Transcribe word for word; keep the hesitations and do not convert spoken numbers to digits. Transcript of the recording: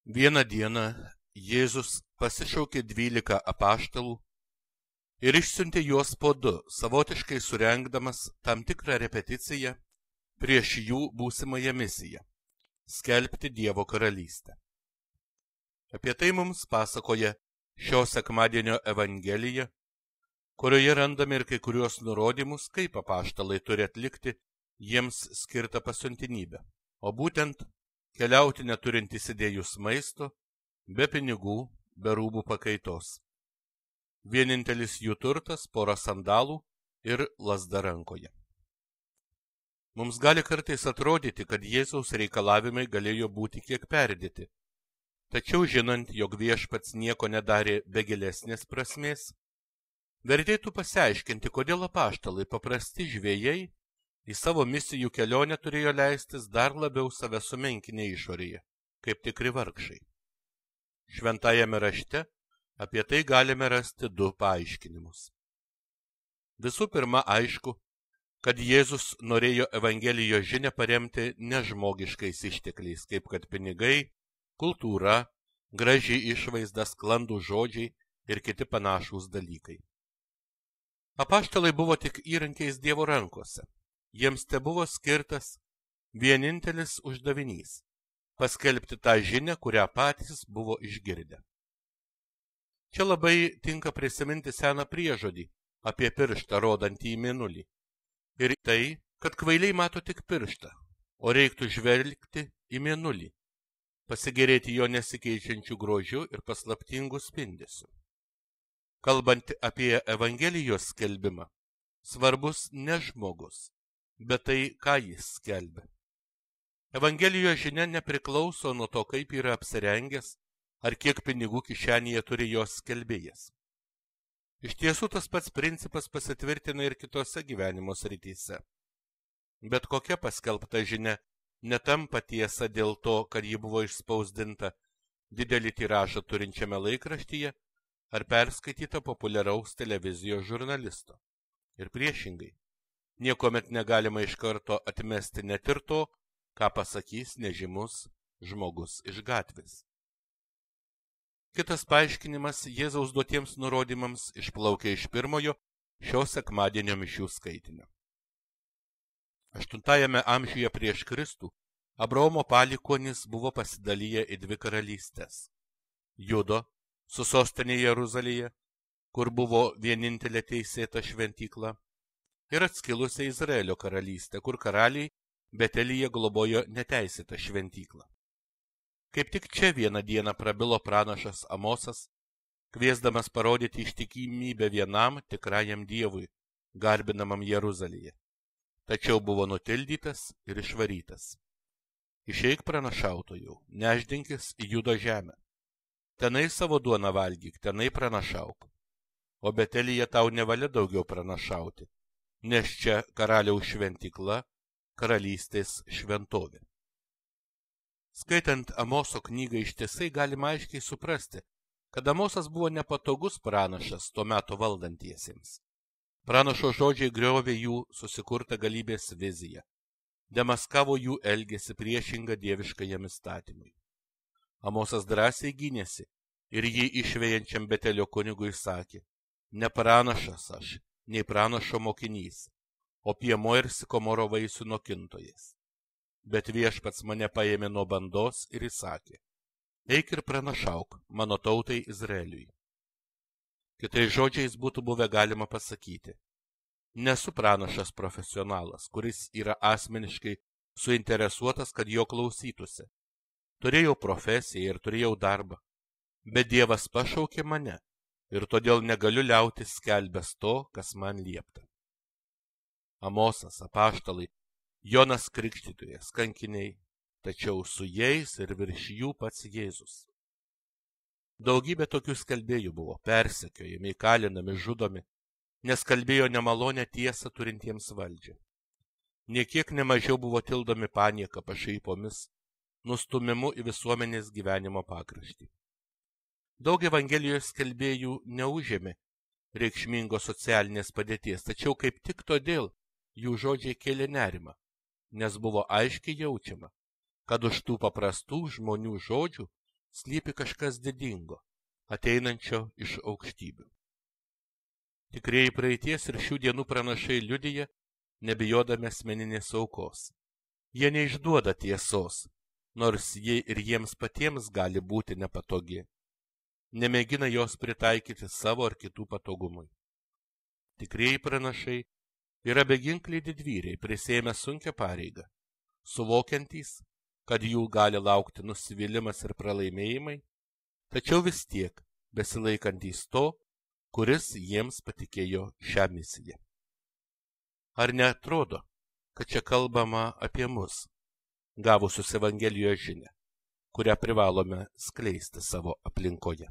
Vieną dieną Jėzus pasišaukė dvylika apaštalų ir išsiuntė juos po du, savotiškai surengdamas tam tikrą repeticiją prieš jų būsimąją misiją – skelbti Dievo karalystę. Apie tai mums pasakoja šio sekmadienio Evangelija, kurioje randame ir kai kuriuos nurodymus, kaip apaštalai turi atlikti jiems skirtą pasiuntinybę, o būtent keliauti neturint įsidėjus maisto, be pinigų, be rūbų pakaitos. Vienintelis jų turtas – pora sandalų ir lazda rankoje. Mums gali kartais atrodyti, kad Jėzaus reikalavimai galėjo būti kiek perdėti, tačiau žinant, jog viešpats nieko nedarė be gilesnės prasmės, vertėtų pasiaiškinti, kodėl apaštalai, paprasti žvejai, į savo misijų kelionę turėjo leistis dar labiau save sumenkinę išorėje, kaip tikri vargšai. Šventajame rašte apie tai galime rasti du paaiškinimus. Visų pirma, aišku, kad Jėzus norėjo Evangelijos žinią paremti nežmogiškais ištekliais, kaip kad pinigai, kultūra, graži išvaizda, sklandų žodžiai ir kiti panašūs dalykai. Apaštalai buvo tik įrankiais Dievo rankose. Jiems te buvo skirtas vienintelis uždavinys – paskelbti tą žinią, kurią patys buvo išgirdę. Čia labai tinka prisiminti seną priežodį apie pirštą rodantį į mėnulį. Ir tai, kad kvailiai mato tik pirštą, o reiktų žvelgti į mėnulį, pasigėrėti jo nesikeičiančių grožių ir paslaptingų spindesių. Kalbant apie Evangelijos skelbimą, svarbus ne žmogus, bet tai, ką jis skelbia. Evangelijos žinia nepriklauso nuo to, kaip yra apsirengęs, ar kiek pinigų kišenėje turi jos skelbėjas. Iš tiesų tas pats principas pasitvirtina ir kitose gyvenimo srityse. Bet kokia paskelbta žinia netampa tiesa dėl to, kad ji buvo išspausdinta didelį tiražą turinčiame laikraštyje ar perskaityta populiaraus televizijos žurnalisto. Ir priešingai, niekuomet negalima iš karto atmesti net ir to, ką pasakys nežymus žmogus iš gatvės. Kitas paaiškinimas Jėzaus duotiems nurodymams išplaukia iš pirmojo šio sekmadienio mišių skaitinio. Aštuntajame amžiuje prieš Kristų Abraomo palikuonys buvo pasidalyję į dvi karalystės – Judo su sostinė Jeruzalėje, kur buvo vienintelė teisėta šventykla, ir atskilusią Izraelio karalystę, kur karaliai Betelyje globojo neteisėtą šventyklą. Kaip tik čia vieną dieną prabilo pranašas Amosas, kviesdamas parodyti ištikimybę vienam tikrajam Dievui, garbinamam Jeruzalėje. Tačiau buvo nutildytas ir išvarytas. Išeik pranašautojau, nešdinkis į Judo žemę. Tenai savo duoną valgyk, tenai pranašauk. O Betelyje tau nevalia daugiau pranašauti, nes čia karaliaus šventykla, karalystės šventovė. Skaitant Amoso knygą ištisai galima aiškiai suprasti, kad Amosas buvo nepatogus pranašas tuo metu valdantiesiems. Pranašo žodžiai griovė jų susikurtą galybės viziją, demaskavo jų elgesį priešingą dieviškajam įstatymui. Amosas drąsiai gynėsi ir jį išvejančiam Betelio kunigui sakė: ne pranašas aš, nei pranašo mokinys, o piemuo ir sikomoro vaisių nokintojas. Bet viešpats mane paėmė nuo bandos ir įsakė: eik ir pranašauk mano tautai Izraeliui. Kitais žodžiais būtų buvę galima pasakyti: nesu pranašas profesionalas, kuris yra asmeniškai suinteresuotas, kad jo klausytųsi. Turėjau profesiją ir turėjau darbą, bet Dievas pašaukė mane ir todėl negaliu liautis skelbęs to, kas man liepta. Amosas, apaštalai, Jonas Krikštytojas, kankiniai, tačiau su jais ir virš jų pats Jėzus. Daugybė tokių skelbėjų buvo persekiojami, įkalinami, žudomi, nes kalbėjo nemalonę tiesą turintiems valdžią. Niekiek nemažiau buvo tildomi panieka, pašaipomis, nustumimu į visuomenės gyvenimo pakraštį. Daug Evangelijos skelbėjų neužėmė reikšmingos socialinės padėties, tačiau kaip tik todėl jų žodžiai kėlė nerimą, nes buvo aiškiai jaučiama, kad už tų paprastų žmonių žodžių slypi kažkas didingo, ateinančio iš aukštybių. Tikrieji praeities ir šių dienų pranašai liudija, nebijodami asmeninės aukos. Jie neišduoda tiesos, nors jie ir jiems patiems gali būti nepatogi. Nemėgina jos pritaikyti savo ar kitų patogumui. Tikrieji pranašai yra beginkliai didvyriai, prisėmę sunkią pareigą, suvokiantys, kad jų gali laukti nusivylimas ir pralaimėjimai, tačiau vis tiek besilaikantys to, kuris jiems patikėjo šią misiją. Ar neatrodo, kad čia kalbama apie mus, gavusius Evangelijos žinią, kurią privalome skleisti savo aplinkoje?